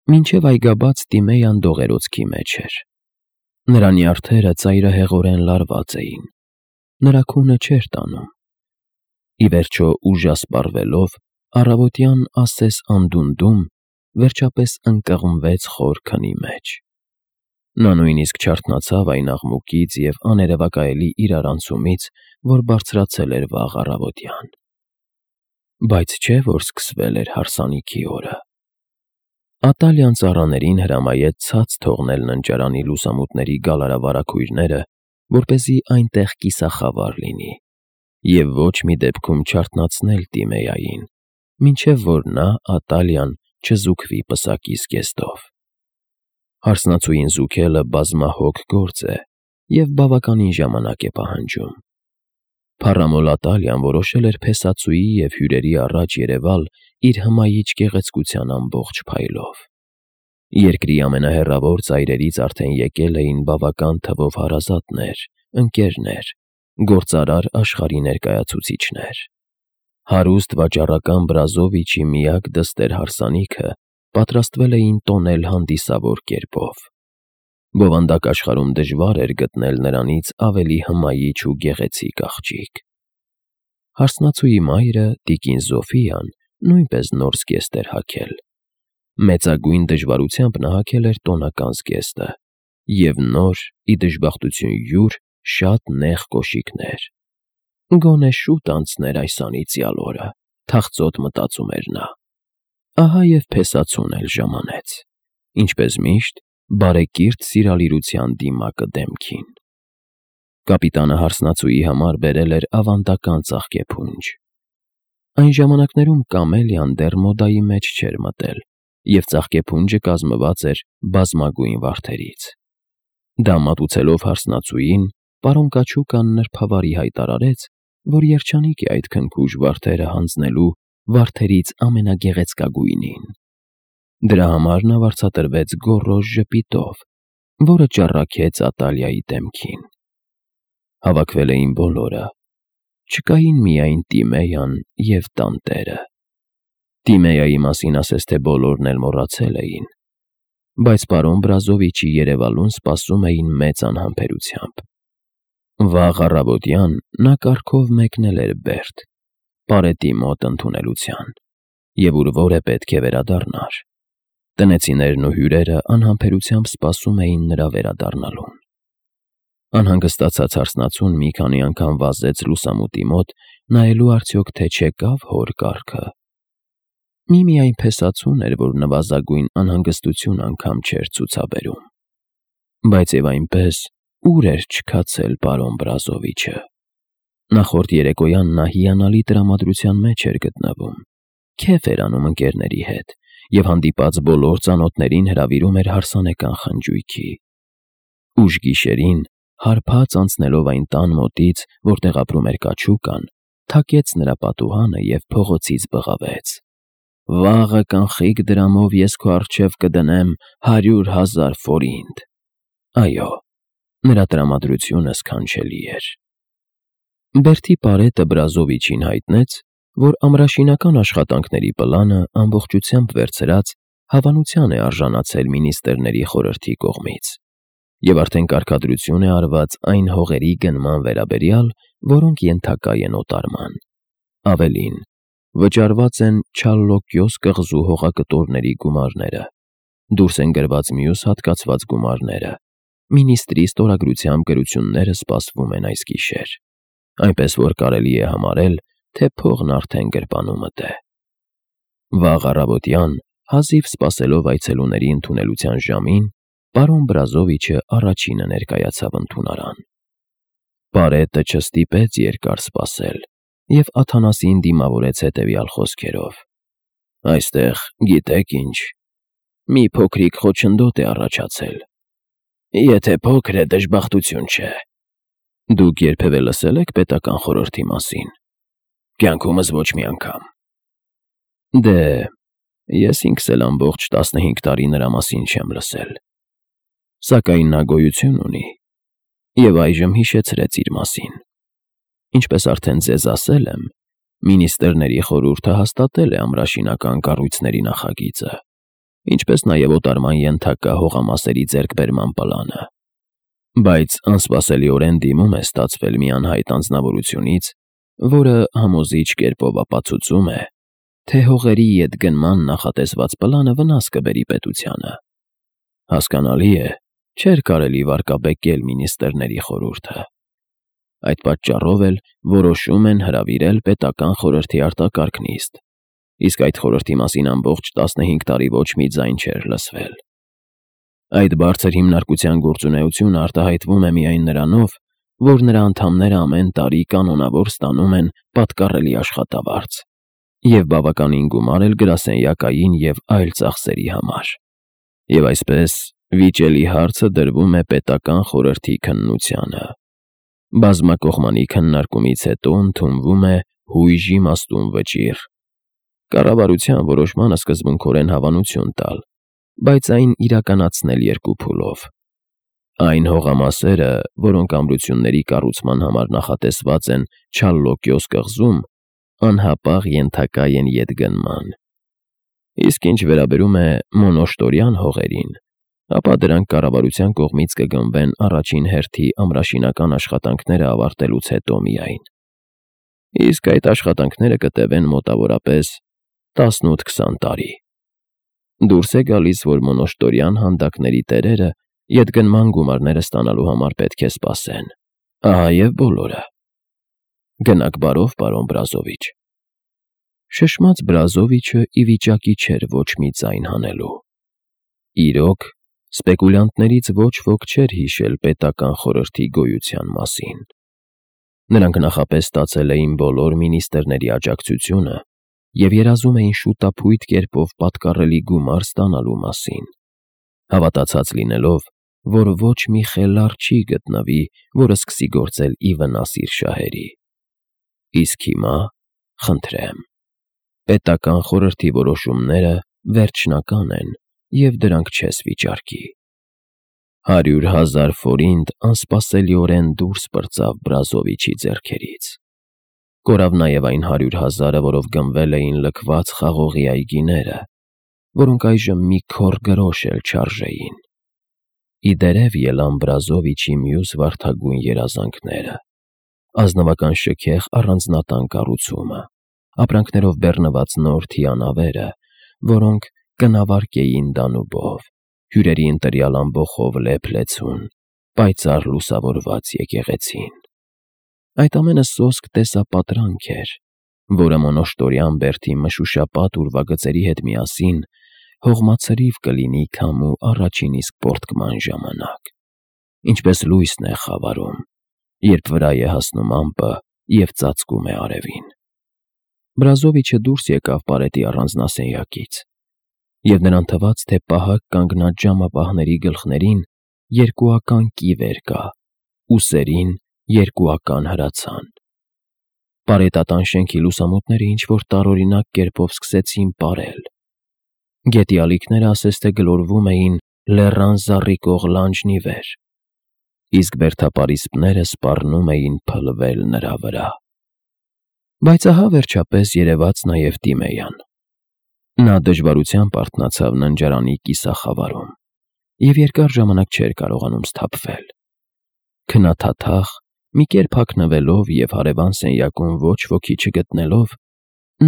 Մինչև այգաբաց Տիմեյան դողերոցքի մեջ էր։ Նրա նյարդերը ծայրահեղորեն լարված էին, նրա քունը չէր տանում։ Ի վերջո ուժասպառվելով, առավոտյան ասես անդունդում, վերջապես ընկղմվեց խոր քնի մեջ։ Նա նույնիսկ չարթնացավ այն աղմուկից և աներևակայելի իրարանցումից, որ բարձրացել էր վաղ առավոտյան։ Բայց չէ՞ որ սկսվել էր հարսանիքի օրը։ Ատալյան ծառաներին հրամայեց ցած թողնել ննջարանի լուսամուտների գալարավարագույրները, որպեսզի այնտեղ կիսախավար լինի, և ոչ մի դեպքում չարթնացնել Տիմեային, մինչև որ նա, Ատալյան, չզուգվի պսակի զգեստով։ Հարսնացուին զուգելը բազմահոգ գործ է և բավականին ժամանակ է պահանջում։ Փառամոլ Ատալյան որոշել էր փեսացուի և հյուրերի առաջ երևալ իր հմայիչ գեղեցկության ամբողջ փայլով։ Երկրի ամենահեռավոր ծայրերից արդեն եկել էին բավական թվով հարազատներ, ընկերներ, գործարար աշխարհի ներկայացուցիչներ։ Հարուստ վաճառական Բրազովիչի միակ դստեր հարսանիքը պատրաստվել էին տոնել հանդիսավոր կերպով։ Բովանդակ աշխարհում դժվար էր գտնել նրանից ավելի հմայիչ ու գեղեցիկ աղջիկ։ Հարսնացուի մայրը, տիկին Զոֆիան, նույնպես նոր զգեստ էր հագել։ Մեծագույն դժվարությամբ նա հագել էր տոնական զգեստը և նոր, ի դժբախտություն յուր, շատ նեղ կոշիկներ։ Գոնե շուտ անցներ այս անիծյալ օրը, թախծոտ մտածում էր նա։ Ահա և փեսացուն էլ ժամանեց, ինչպես միշտ, բարեկիրթ սիրալիրության դիմակը դեմքին։ Կապիտանը հարսնացուի համար բերել էր ավանդական ծաղկեփունջ։ Այն ժամանակներում կամելիան դեռ մոդայի մեջ չէր մտել, և ծաղկեփունջը կազմված էր բազմագույն վարդերից։ Դա մատուցելով հարսնացուին, պարոն Կաչուկան նրբավարի հայտարարեց, որ երջանիկ է այդ քնքուշ վարդերը հանձնելու վարդերից ամենագեղեցկագույնին։ Դրա համար նա վարձատրվեց գոռոզ ժպիտով, որը ճառագեց Ատալիայի դեմքին։ Հավաքվել էին բոլորը։ Չկային միայն Տիմեյան և տանտերը։ Տիմեայի մասին ասես թե բոլորն էլ մոռացել էին, բայց պարոն Բրազովիչի երևալուն սպասում էին մեծ անհամբերությամբ։ Վաղ առավոտյան նա կառքով մեկնել էր Բերդ, պարետի մոտ ընդունելության, և ուր որը պետք է վերադառնար։ Տնեցիներն ու հյուրերը անհամբերությամբ սպասում էին նրա վերադառնալուն։ Անհանգստացած հարսնացուն մի քանի անգամ վազեց լուսամուտի մոտ, նայելու արդյոք թե չեկավ հոր կառքը։ Միմիայն փեսացուն էր, որ նվազագույն անհանգստություն անգամ չէր ցուցաբերում։ Բայց և այնպես, ուր էր չքացել պարոն Բրազովիչը։ Նախորդ երեկոյան նա հիանալի տրամադրության մեջ էր գտնվում, քեֆ էր անում ընկերների հետ և հանդիպած բոլոր ծանոթներին հրավիրում էր հարսանեկան խնջույքի։ Ուշ գիշերին, հարբած անցնելով այն տան մոտից, որտեղ ապրում էր Կաչուկան, թակեց նրա պատուհանը և փողոցից բղավեց. «Վաղը կանխիկ դրամով ես քո առջև կդնեմ 100,000 ֆորինտ»։ Այո, նրա տրամադրությունը սքանչելի էր։ Բերդի պարետը Բրազովիչին հայտնեց, որ ամրաշինական աշխատանքների պլանը ամբողջությամբ վերցրած հավանության է արժանացել մինիստրների խորհրդի կողմից, և արդեն կարգադրություն է արված այն հողերի գնման վերաբերյալ, որոնք ենթակա են օտարման։ Ավելին, վճարված են Չալլոկյոս կղզու հողակտորների գումարները, դուրս են գրված մյուս հատկացված գումարները, մինիստրի ստորագրությամբ գրությունները սպասվում են այս գիշեր, այնպես որ կարելի է համարել, թե փողն արդեն գրպանումդ է։ Վաղ առավոտյան, հազիվ սպասելով այցելուների ընդունելության ժամին, պարոն Բրազովիչը առաջինը ներկայացավ ընդունարան։ Պարետը չստիպեց երկար սպասել և Աթանասին դիմավորեց հետևյալ խոսքերով. «Այստեղ, գիտեք ինչ, մի փոքրիկ խոչընդոտ է առաջացել։ Եթե փոքր է, դժբախտություն չէ։ Դուք երբևէ լսել եք պետական խորհրդի մասին։ Կյանքումս ոչ մի անգամ։ Դե, ես ինքս էլ ամբողջ 15 տարի նրա մասին չեմ լսել։ Սակայն նա գոյություն ունի և այժմ հիշեցրեց իր մասին։ Ինչպես արդեն ձեզ ասել եմ, մինիստրների խորհուրդը հաստատել է ամրաշինական կառույցների նախագիծը, ինչպես նաև օտարման ենթակա հողամասերի ձեռքբերման պլանը։ Բայց անսպասելիորեն դիմում է ստացվել մի անհայտ անձնավորությունից, որը համոզիչ կերպով ապացուցում է, թե հողերի ետգնման նախատեսված պլանը վնաս կբերի պետությանը։ Հասկանալի է, չէր կարելի վարկաբեկել մինիստրների խորհուրդը։ Այդ պատճառով էլ որոշում են հրավիրել պետական խորհրդի արտակարգ նիստ, իսկ այդ խորհրդի մասին ամբողջ 15 տարի ոչ մի ձայն չէր լսվել։ Այդ բարձր հիմնարկության գործունեությունը արտահայտվում է միայն նրանով, որ նրա անդամները ամեն տարի կանոնավոր ստանում են պատկառելի աշխատավարձ և բավականին գումար էլ գրասենյակային և այլ ծախսերի համար։ Եվ այսպես վիճելի հարցը դրվում է պետական խորհրդի քննությանը։ Բազմակողմանի քննարկումից հետո ընդունվում է հույժ իմաստուն վճիռ։ Կառավարության որոշմանը սկզբունքորեն հավանություն տալ, բայց այն իրականացնել երկու փուլով։ Այն հողամասերը, որոնք ամրությունների կառուցման համար նախատեսված են Չալլոկյոս կղզում, անհապաղ ենթակա են ետգնման։ Իսկ ինչ վերաբերում է մոնոշտորյան հողերին, ապա դրանք կառավարության կողմից կգնվեն առաջին հերթի ամրաշինական աշխատանքները ավարտելուց հետո միայն։ Իսկ այդ աշխատանքները կտևեն մոտավորապես 18-20 տարի։ Դուրս է գալիս, որ մոնոշտորյան հանդակների տերերը ետգնման գումարները ստանալու համար պետք է սպասեն։ Ահա և բոլորը։ Գնաք բարով, պարոն Բրազովիչ։ Շշմած Բրազովիչը ի վիճակի չէր ոչ մի ձայն հանելու։ Իրոք, սպեկուլյանտներից ոչ ոք չէր հիշել պետական խորհրդի գոյության մասին։ Նրանք նախապես ստացել էին բոլոր մինիստրների աջակցությունը և երազում էին շուտափույթ կերպով պատկառելի գումար ստանալու մասին, հավատացած լինելով, որ ոչ մի խելառ չի գտնվի, որը սկսի գործել ի վնաս իր շահերի։ Իսկ հիմա, խնդրեմ, պետական խորհրդի որոշումները վերջնական են և դրանք չես վիճարկի։ 100,000 ֆորինտ անսպասելիորեն դուրս պրծավ Բրազովիչի ձեռքերից։ Կորավ նաև այն 100,000-ը, որով գնվել էին լքված խաղողի այգիները, որոնք այժմ մի քոռ գրոշ էլ չարժեին։ Ի դերև ելան Բրազովիչի մյուս վարդագույն երազանքները՝ ազնվական շքեղ առանձնատան կառուցումը, ապրանքներով բեռնված նոր թիանավերը, որոնք կնավարկեին Դանուբով, հյուրերի ընտրյալ ամբոխով լեփ-լեցուն, պայծառ լուսավորված եկեղեցին։ Այդ ամենը սոսկ տեսապատրանք էր, որը մոնոշտորյան բերդի մշուշապատ ուրվագծերի հետ միասին հողմացրիվ կլինի քամու առաջին իսկ պոռթկման ժամանակ, ինչպես լույսն է խավարում, երբ վրա է հասնում ամպը և ծածկում է արևին։ Բրազովիչը դուրս եկավ պարետի առանձնասենյակից, և նրան թվաց, թե պահակ կանգնած ժամապահների գլխներին երկուական կիվեր կա, ուսերին երկուական հրացան։ Պարետատան շենքի լուսամուտները ինչ-որ տարօրինակ կերպով սկսեցին պարել։ Գետի ալիքները ասես թե գլորվում էին լեռան զառիկող լանջն ի վեր, իսկ բերդապարիսպները սպառնում էին փլվել նրա վրա։ Բայց ահա վերջապես երևաց նաև Տիմեյան։ Նա դժվարությամբ արթնացավ ննջարանի կիսախավարում և երկար ժամանակ չէր կարողանում սթափվել։ Քնաթաթախ, մի կերպ հագնվելով և հարևան սենյակում ոչ ոքի չգտնելով,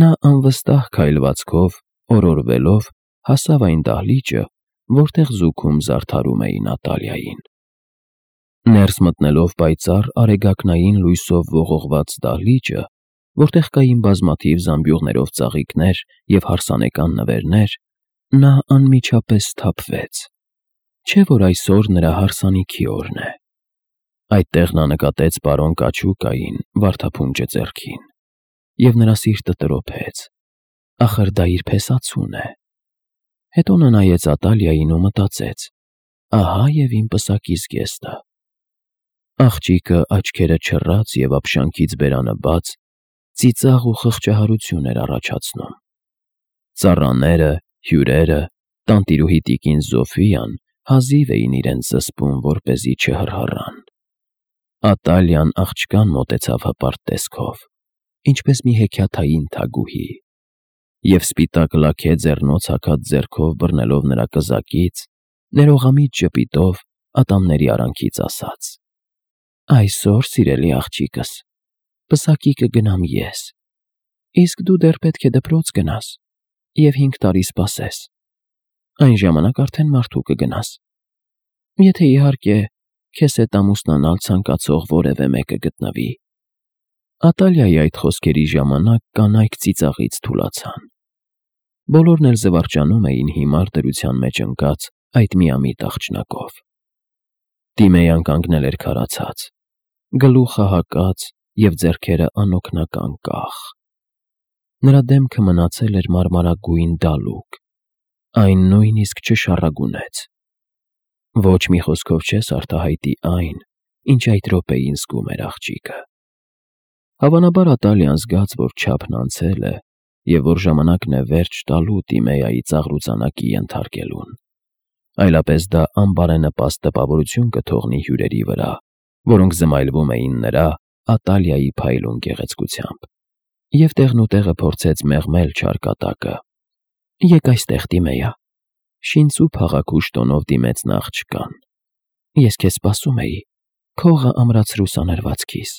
նա անվստահ քայլվածքով, օրորվելով հասավ այն դահլիճը, որտեղ զուգում զարդարում էին Ատալիային։ Ներս մտնելով պայծառ արեգակնային լույսով ողողված դահլիճը, որտեղ կային բազմաթիվ զամբյուղներով ծաղիկներ և հարսանեկան նվերներ, նա անմիջապես սթափվեց, չէ՞ որ այսօր նրա հարսանիքի օրն է։ Այդտեղ նա նկատեց պարոն Կաչուկային վարդափունջը ձեռքին, և նրա սիրտը տրոփեց, ախր դա իր փեսացուն է։ Հետո նա նայեց Ատալիային ու մտածեց. ահա և իմ պսակի զգեստը։ Աղջիկը աչքերը չռած և ափշանքից բերանը բաց, ծիծաղ ու խղճահարություն էր առաջացնում։ Ծառաները, հյուրերը, տանտիրուհի տիկին Զոֆիան հազիվ էին իրենց զսպում, որպեսզի չհռհռան։ Ատալիան աղջկան մոտեցավ հպարտ տեսքով, ինչպես մի հեքիաթային թագուհի։ Եվ սպիտակ լաքե ձեռնոց հագած ձեռքով բռնելով նրա կզակից, ներողամիտ ժպիտով ատամների արանքից ասաց. «Այսօր, սիրելի աղջիկս, պսակի կգնամ ես, իսկ դու դեռ պետք է դպրոց գնաս և 5 տարի սպասես, այն ժամանակ արդեն մարդու կգնաս, եթե իհարկե քեզ հետ ամուսնանալ ցանկացող որևէ մեկը գտնվի»։ Ատալիայի այդ խոսքերի ժամանակ կանայք ծիծաղից թուլացան։ Բոլորն էլ զվարճանում էին հիմար դրության մեջ ընկած այդ միամիտ աղջնակով։ Տիմեյան կանգնել էր քարացած, գլուխը հակած և ձեռքերը անօգնական կախ։ Նրա դեմքը մնացել էր մարմարագույն դալուկ, այն նույնիսկ չշառագունեց։ Ոչ մի խոսքով չես արտահայտի այն, ինչ այդ րոպեին զգում էր աղջիկը։ Հավանաբար Ատալիան զգաց, որ չափն անցել է և որ ժամանակն է վերջ տալու Տիմեայի ծաղրուծանակի ենթարկելուն, այլապես դա անբարենպաստ տպավորություն կթողնի հյուրերի վրա, որոնք զմայլվում էին նրա Ատալիայի փայլուն գեղեցկությամբ, և տեղնուտեղը փորձեց մեղմել չար կատակը։ «Եկ այստեղ, Տիմեյա», շինծու փաղաքուշ տոնով դիմեց նա աղջկան։ «Ես քեզ սպասում էի, քողը ամրացրու սանրվածքիս»։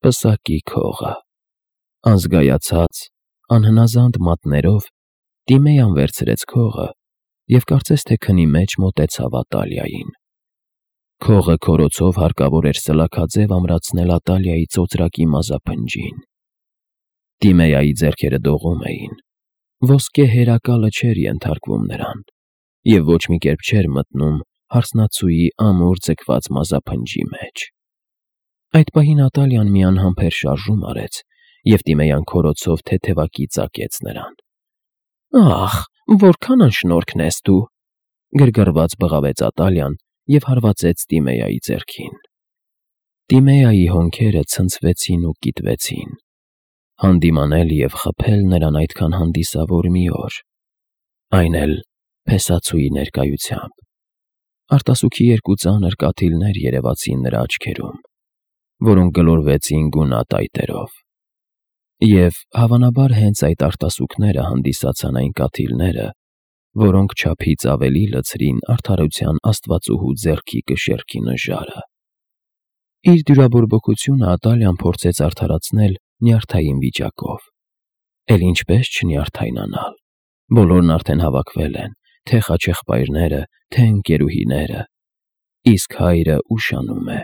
Պսակի քողը։ Անզգայացած, անհնազանդ մատներով Տիմեյան վերցրեց քողը և կարծես թե քնի մեջ մոտեցավ Ատալիային։ Քողը քորոցով հարկավոր էր սլաքաձև ամրացնել Ատալիայի ծոծրակի մազափնջին։ Տիմեայի ձեռքերը դողում էին, ոսկե հերակալը չէր ենթարկվում նրան, և ոչ մի կերպ չէր մտնում հարսնացուի ամուր ձգված մազափնջի մեջ։ Այդ պահին Ատալիան մի անհամբեր շարժում արեց, և Տիմեյան քորոցով թեթևակի ծակեց նրան։ «Ախ, որքան անշնորհքն ես դու», գրգռված բղավեց Ատալիան և հարվածեց Տիմեայի ձեռքին։ Տիմեայի հոնքերը ցնցվեցին ու կիտվեցին։ Հանդիմանել և խփել նրան այդքան հանդիսավոր մի օր, այն էլ փեսացուի ներկայությամբ։ Արտասուքի երկու ծանր կաթիլներ երևացին նրա աչքերում, որոնք գլորվեցին գունատ այտերով։ Եվ հավանաբար հենց այդ արտասուքները հանդիսացան այն կաթիլները, որոնք չափից ավելի լցրին արդարության աստվածուհու ձեռքի կշեռքի նժարը։ Իր դյուրաբորբոքությունը Ատալիան փորձեց արդարացնել նյարդային վիճակով։ Էլ ինչպես չնյարդայնանալ։ Բոլորն արդեն հավաքվել են, թե խաչեղբայրները, թե ընկերուհիները, իսկ հայրը ուշանում է։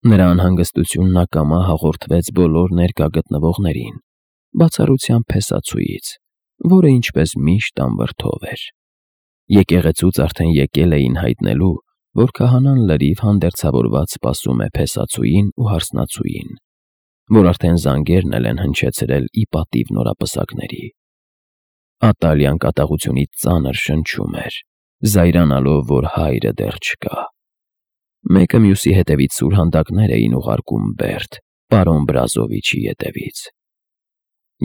Նրա անհանգստությունն ակամա հաղորդվեց բոլոր ներկա գտնվողներին, բացառությամբ փեսացուից, որը ինչպես միշտ անվրդով էր։ Եկեղեցուց արդեն եկել էին հայտնելու, որ քահանան լրիվ հանդերձավորված սպասում է փեսացուին ու հարսնացուին, որ արդեն զանգերն էլ են հնչեցրել ի պատիվ նորապսակների։ Ատալիան կատաղությունից ծանր շնչում էր, զայրանալով, որ հայրը դեռ չկա։ Մեկը մյուսի հետևից սուրհանդակներ էին ուղարկում Բերդ, պարոն Բրազովիչի ետևից։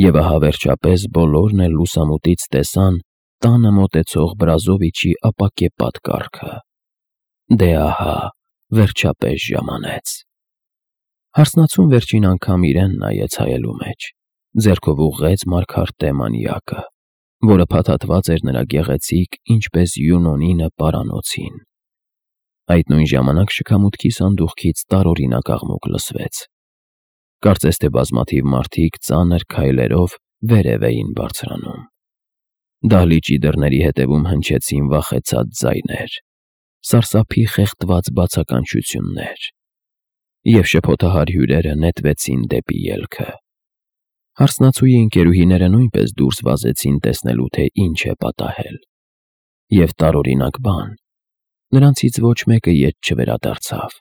Եվ ահա վերջապես բոլորն էլ լուսամուտից տեսան տանը մոտեցող Բրազովիչի ապակեպատ կառքը։ Դե ահա, վերջապես ժամանեց։ Հարսնացուն վերջին անգամ իրեն նայեց հայելու մեջ, ձեռքով ուղղեց Մարգարտե մանյակը, որը փաթաթված էր նրա գեղեցիկ, ինչպես Յունոնինը պարանոցին։ Այդ նույն ժամանակ շքամուտքի սանդուղքից տարօրինակ աղմուկ լսվեց։ Կարծես թե բազմաթիվ մարդիկ ծանր քայլերով վերև էին բարձրանում։ Դահլիճի դռների հետևում հնչեցին վախեցած ձայներ, սարսափի խեղդված բացականչություններ, և շփոթահար հյուրերը նետվեցին դեպի ելքը։ Հարսնացուի ընկերուհիները նույնպես դուրս վազեցին տեսնելու, թե ինչ է պատահել։ Եվ տարօրինակ բան, նրանցից ոչ մեկը ետ չվերադարձավ,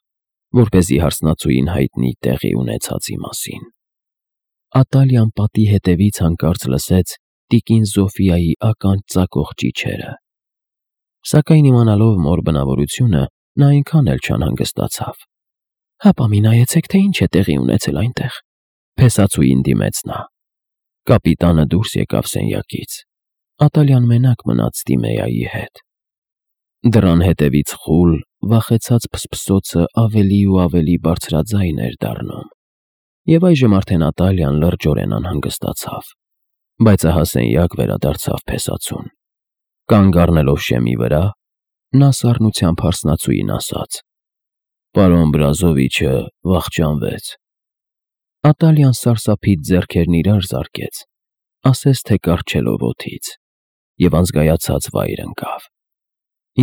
որպեսզի հարսնացուին հայտնի տեղի ունեցածի մասին։ Ատալիան պատի հետևից հանկարծ լսեց տիկին Զոֆիայի ականջ ծակող ճիչերը։ Սակայն իմանալով մոր բնավորությունը, նա այնքան էլ չանհանգստացավ։ «Հապա մի նայեցեք, թե ինչ է տեղի ունեցել այնտեղ», փեսացուին դիմեց նա։ Կապիտանը դուրս եկավ սենյակից։ Ատալիան մենակ մնաց Տիմեայի հետ։ Դռան հետևից խուլ, վախեցած փսփսոցը ավելի ու ավելի բարձրաձայն էր դառնում, և այժմ արդեն Ատալիան լրջորեն անհանգստացավ։ Բայց ահասենյակ վերադարձավ փեսացուն։ Կանգ առնելով շեմի վրա, նա սառնությամբ հարսնացուին ասաց. «Պարոն Բրազովիչը վախճանվեց»։ Ատալյան սարսափից ձեռքերն իրար զարկեց, ասես թե կառչելով օդից, և անզգայացած վայր ընկավ։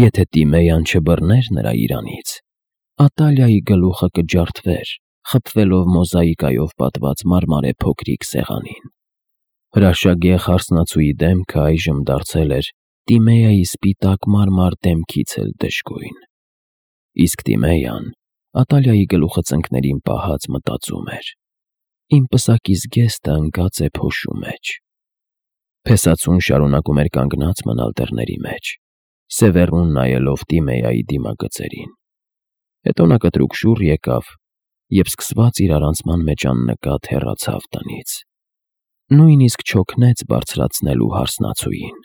Եթե Տիմեյան չբռներ նրա իրանից, Ատալիայի գլուխը կջարդվեր, խփվելով մոզաիկայով պատված մարմարե փոքրիկ սեղանին։ Հրաշագեղ հարսնացուի դեմքը այժմ դարձել էր Տիմեյայի սպիտակ մարմար դեմքից էլ դժգույն։ Իսկ Տիմեյան, Ատալիայի գլուխը ծնկներին պահած, մտածում էր. «Իմ պսակի զգեստը ընկած է փոշու մեջ»։ Փեսացուն շարունակում էր կանգնած մնալ դռների մեջ, սևեռուն նայելով Տիմեյայի դիմագծերին։ Հետո նա կտրուկ շուռ եկավ և սկսված իրարանցման մեջ աննկատ հեռացավ տնից։ Նույնիսկ չօգնեց բարձրացնելու հարսնացուին։